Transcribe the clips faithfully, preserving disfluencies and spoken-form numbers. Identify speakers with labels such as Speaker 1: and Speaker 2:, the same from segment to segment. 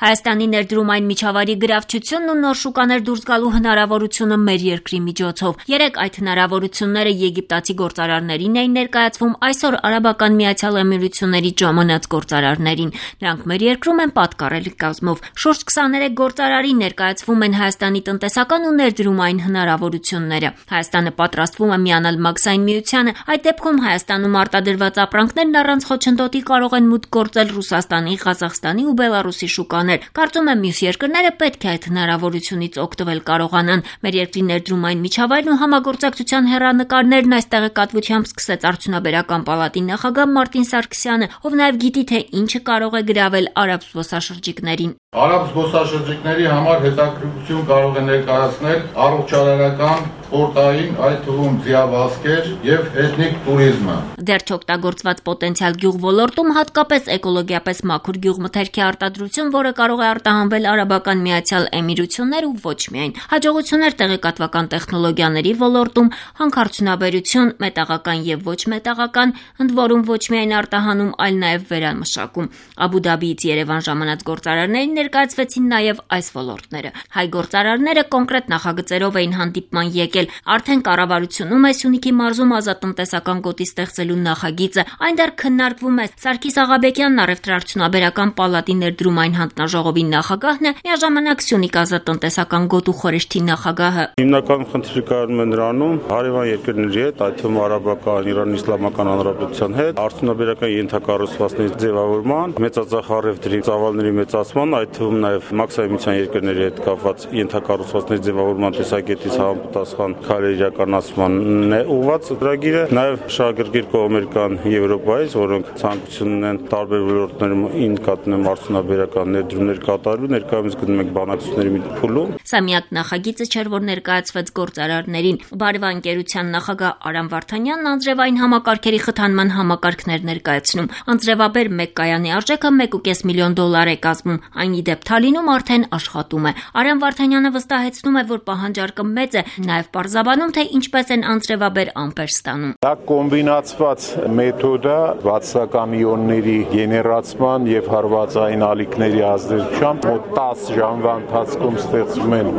Speaker 1: Հայաստանի ներդրումային միջավայրի գրավչությունն ու նոր շուկաներ դուրս գալու հնարավորությունը մեր երկրի միջոցով։ Երեկ այդ հնարավորությունները եգիպտացի գործարարներին էին ներկայացվում, այսօր Արաբական Միացյալ Էմիրությունների ժամանած գործարարներին։ Նրանք մեր երկրում են պատկառելի կազմով։ Շուրջ քսաներեք գործարարի ներկայացվում են Հայաստանի տնտեսական ու ներդրումային հնարավորությունները։ Հայաստանը պատրաստվում է միանալ Մաքսային միությանը, այդ դեպքում Հայաստանում արտադրված ապրանքներն առանց խոչընդոտի կարող են մուտք գործել Ռուսաստանի, Ղազախստանի ու Բելարուսի շուկաներ։ Կարծում եմ մյուս երկրները պետք է այդ հնարավորությունից օգտվել կարողանան։ Մեր երկրի ներդրումային միջավայրն ու համագործակցության հեռանկարներն այս տեղեկատվությամբ սկսեց Արդյունաբերական պալատի նախագահ Մարտին Սարգսյանը, ով նաև գիտի, թե ինչը կարող է գրավել արաբ զբոսաշրջիկներին։
Speaker 2: Արաբ զբոսաշրջիկների համար հետաքրքրություն կարող է ներկայացնել առողջարարական, սպորտային, այդ թվում ձիավազքեր եւ էթնիկ туриզմը։
Speaker 1: Դեռ չօգտագործված պոտենցիալ գյուղ ոլորտում հատկապես էկոլոգիապես մաքուր գյուղմթերքի արտադրություն, որը կարող է արտահանվել Արաբական Միացյալ Էմիրություններ ու ոչ միայն։ Հաջողություններ տեղեկատվական տեխնոլոգիաների ոլորտում, հանքարդյունաբերություն, մետաղական եւ ոչ մետաղական, ընդ որում ոչ միայն արտահանում, այլ նաեւ վերամշակում։ Աբու Դաբիից Երևան ժամանած գործարարներին ներկայացվեցին նաեւ այս ոլորտները։ Հայ գործարարները կոնկրետ նախագծերով էին հանդիպման եկել։ Արդեն կառավարությունում է Սյունիքի մարզում ազատտնտեսական գոտի ստեղծելու նախագիծը։ Այն դեռ քննարկվում է։ Սարգիս Աղաբեկյանն առևտրաարդյունաբերական պալատի ներդրումային հանձնաժողովի նախագահն է, միաժամանակ Սյունիք ազատտնտեսական գոտու խորհրդի նախագահը։
Speaker 3: Հիմնական խնդիրը կայանում է նրանում, հարևան երկրների հետ, այդ թվում Արաբական, Իրանի Իսլամական Հանրապետության հետ, արդյունաբերական ենթակառուցվածքների ձևավորման, մեծածախ առևտրի ծավալների մեծացման, այդ թվում նաև Մաքսային միության երկրների հետ կապված ենթակառուցվածքների ձևավորման տեսակետից համապատասխան քայլեր իրականացմանն է ուղղված ծրագիրը, նաև շահագրգիռ կողմեր կան Եվրոպայից, որոնք ցանկություն ունեն տարբեր ոլորտներում ինկատնեմ արդյունաբերական ներդրումներ կատարելու, ներկայումս գնում ենք բանակցությունների փուլում։
Speaker 1: Սա միակ նախագիծը չէր, որ ներկայացվեց գործարարներին։ Բարևա ընկերության նախագահ Արամ Վարդանյանն անձրևային համակարգերի խթանման համակարգներ ներկայացնում։ Անձրևաբեր մեկ կայանի արժեքը մեկ ու կես միլիոն դոլար է կազմում։ Այն ի դեպ Թալինում արդեն աշխատում է։ Արամ Վարդանյանը վստահեցնում է, որ պահանջարկը մեծ է, նաև պարզաբանում, թե ինչպես են անձրևաբեր ամպեր ստանում։
Speaker 4: Դա կոմբինացված մեթոդ է վատսակամիոնների գեներացման եւ հարվածային ալիքների ազդեցությամբ մոտ տասը ժամվա ընթացքում ստեղծվում են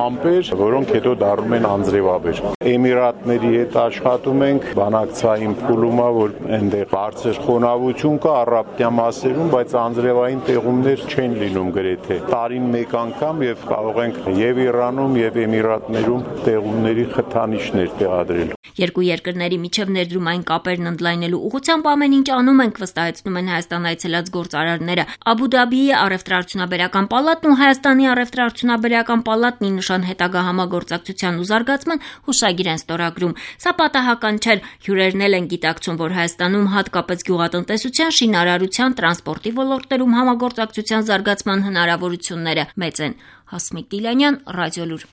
Speaker 4: ամպեր, որոնք հետո դառնում են անձրևաբեր։ Էմիրատների հետ աշխատում ենք, բանակցային փուլում է, որ այնտեղ բարձր խոնավություն կա առապտյա մասերում, բայց անձրևային տեղումներ չեն լինում գրեթե։ Տարին մեկ անգամ եւ կարող ենք եւ Իրանում եւ Էմիրատներում տեղումների խթանիչներ տեղադրել։
Speaker 1: Երկու երկրների միջև ներդրումային կապերն ընդլայնելու ուղղությամբ ամեն ինչ անում ենք, վստահեցնում են Հայաստան այցելած գործարարները։ Աբու Դաբիի առևտրաարդյունաբերական պալատն ու Հայաստանի առևտրաարդյունաբերական պալատն ի նշան հետագա համագործակցության ու զարգացման հուշագիր են ստորագրում։ Սա պատահական չէ։ Հյուրերն էլ են գիտակցում, որ Հայաստանում հատկապես գյուղատնտեսության, շինարարության, տրանսպորտի ոլորտներում համագործակցության զարգացման հնարավորությունները մեծ են։ Հասմիկ Դիլանյան, Ռադիոլուր։